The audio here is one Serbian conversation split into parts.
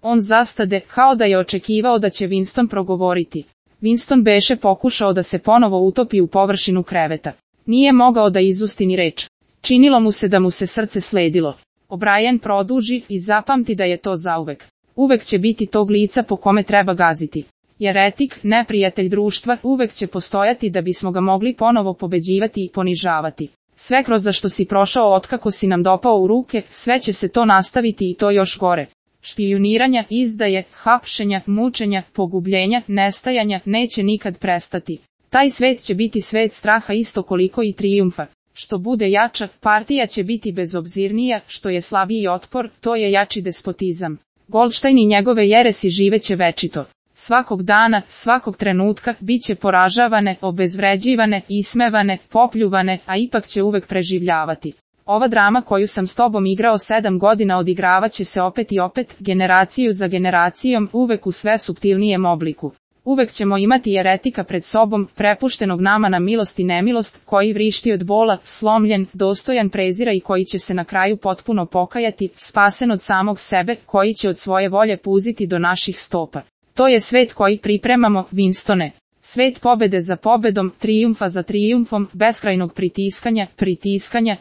On zastade, kao da je očekivao da će Winston progovoriti. Winston beše pokušao da se ponovo utopi u površinu kreveta. Nije mogao da izusti ni reč. Činilo mu se da mu se srce sledilo. O'Brien produži i zapamti da je to zauvek. Uvek će biti tog lica po kome treba gaziti. Jeretik, neprijatelj društva, uvek će postojati da bismo ga mogli ponovo pobeđivati i ponižavati. Sve kroz za što si prošao otkako si nam dopao u ruke, sve će se to nastaviti i to još gore. Špijuniranja, izdaje, hapšenja, mučenja, pogubljenja, nestajanja neće nikad prestati. Taj svet će biti svet straha isto koliko i trijumfa. Što bude jača, partija će biti bezobzirnija, što je slabiji otpor, to je jači despotizam. Goldstein i njegove jeresi živeće večito. Svakog dana, svakog trenutka, bit će poražavane, obezvređivane, ismevane, popljuvane, a ipak će uvek preživljavati. Ova drama koju sam s tobom igrao 7 godina odigravaće se opet i opet, generaciju za generacijom, uvek u sve suptilnijem obliku. Uvek ćemo imati jeretika pred sobom, prepuštenog nama na milost i nemilost, koji vrišti od bola, slomljen, dostojan prezira i koji će se na kraju potpuno pokajati, spasen od samog sebe, koji će od svoje volje puziti do naših stopa. To je svet koji pripremamo, Winstone. Svet pobede za pobedom, trijumfa za trijumfom, beskrajnog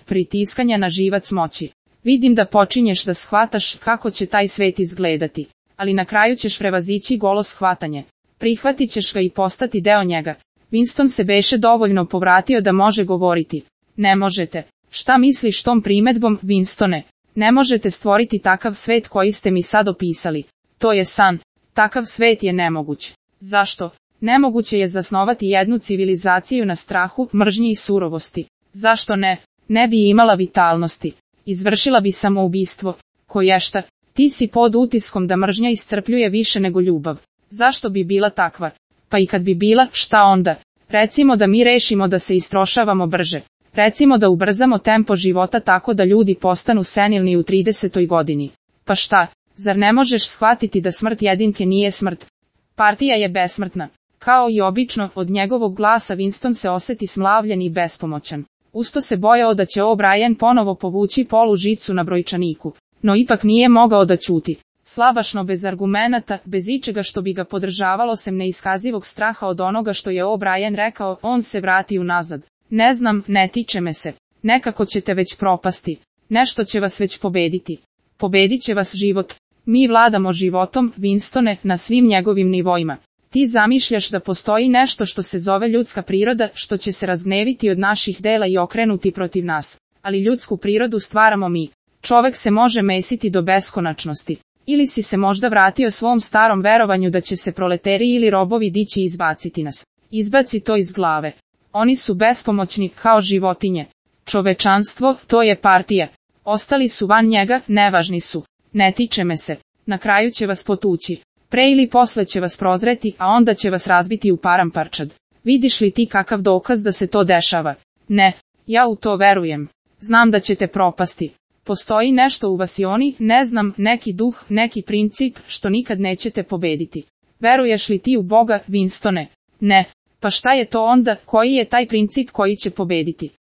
pritiskanja na živac moći. Vidim da počinješ da shvataš kako će taj svet izgledati, ali na kraju ćeš prevazići golo shvatanje. Prihvatit ćeš ga i postati deo njega. Winston se beše dovoljno povratio da može govoriti. Ne možete. Šta misliš tom primedbom, Winstone? Ne možete stvoriti takav svet koji ste mi sad opisali. To je san. Takav svet je nemoguć. Zašto? Nemoguće je zasnovati jednu civilizaciju na strahu, mržnji i surovosti. Zašto ne? Ne bi imala vitalnosti. Izvršila bi samoubistvo. Koješta? Ti si pod utiskom da mržnja iscrpljuje više nego ljubav. Zašto bi bila takva? Pa i kad bi bila, šta onda? Recimo da mi rešimo da se istrošavamo brže. Recimo da ubrzamo tempo života tako da ljudi postanu senilni u 30. godini. Pa šta? Zar ne možeš shvatiti da smrt jedinke nije smrt? Partija je besmrtna. Kao i obično, od njegovog glasa Winston se oseti smlavljen i bespomoćan. Usto se bojao da će O'Brien ponovo povući polu žicu na brojčaniku. No ipak nije mogao da ćuti. Slabašno bez argumenata, bez ičega što bi ga podržavalo sem neiskazivog straha od onoga što je O'Brien rekao, on se vrati unazad. Ne znam, ne tiče me se. Nekako ćete već propasti. Nešto će vas već pobediti. Pobedit će vas život. Mi vladamo životom, Winstone, na svim njegovim nivoima. Ti zamišljaš da postoji nešto što se zove ljudska priroda, što će se razgneviti od naših dela i okrenuti protiv nas. Ali ljudsku prirodu stvaramo mi. Čovek se može mesiti do beskonačnosti. Ili si se možda vratio svom starom verovanju da će se proleteri ili robovi dići i izbaciti nas. Izbaci to iz glave. Oni su bespomoćni kao životinje. Čovečanstvo, to je partija. Ostali su van njega, nevažni su. Ne tiče me se. Na kraju će vas potući. Pre ili posle će vas prozreti, a onda će vas razbiti u paramparčad. Vidiš li ti kakav dokaz da se to dešava? Ne. Ja u to verujem. Znam da ćete propasti. Postoji nešto u vas i oni, ne znam, neki duh, neki princip, što nikad nećete pobediti. Veruješ li ti u Boga, Winstone? Ne. Pa šta je to onda, koji je taj princip koji će pobediti?